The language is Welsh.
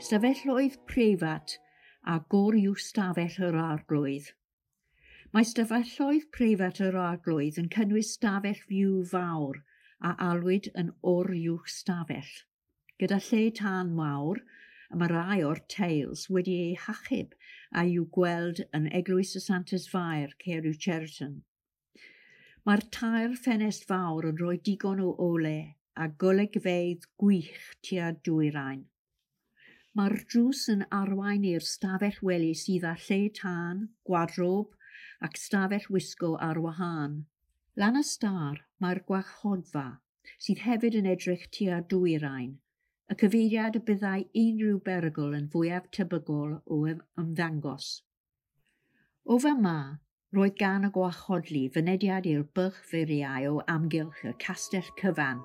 Stafelloedd preifat a goruwchstafell yr arglwydd. Mae stafelloedd preifat yr arglwydd yn cynnwys stafell fyw fawr a alwyd yn oruwchstafell. Gyda lle tân mawr, y mae rai o'r teils wedi eu hachub a i'w gweld yn Eglwys y Santes Fair, Caeriw Cheriton. Mae'r tair ffenest fawr yn rhoi digon o ole a golygfeydd gwych tua dwyrain. Mae'r drws yn arwain i'r stafell wely sydd â lle tân, gwadrob ac stafell wisgo ar wahân. Lan y stâr mae'r gwarchodfa, sydd hefyd yn edrych tua dwyrain, y cyfeiriad y byddai unrhyw berygl yn fwyaf tebygol o ymddangos. O fama, roedd gan y gwarchodlu fynediad i'r byrchfuriau o amgylch y castell cyfan.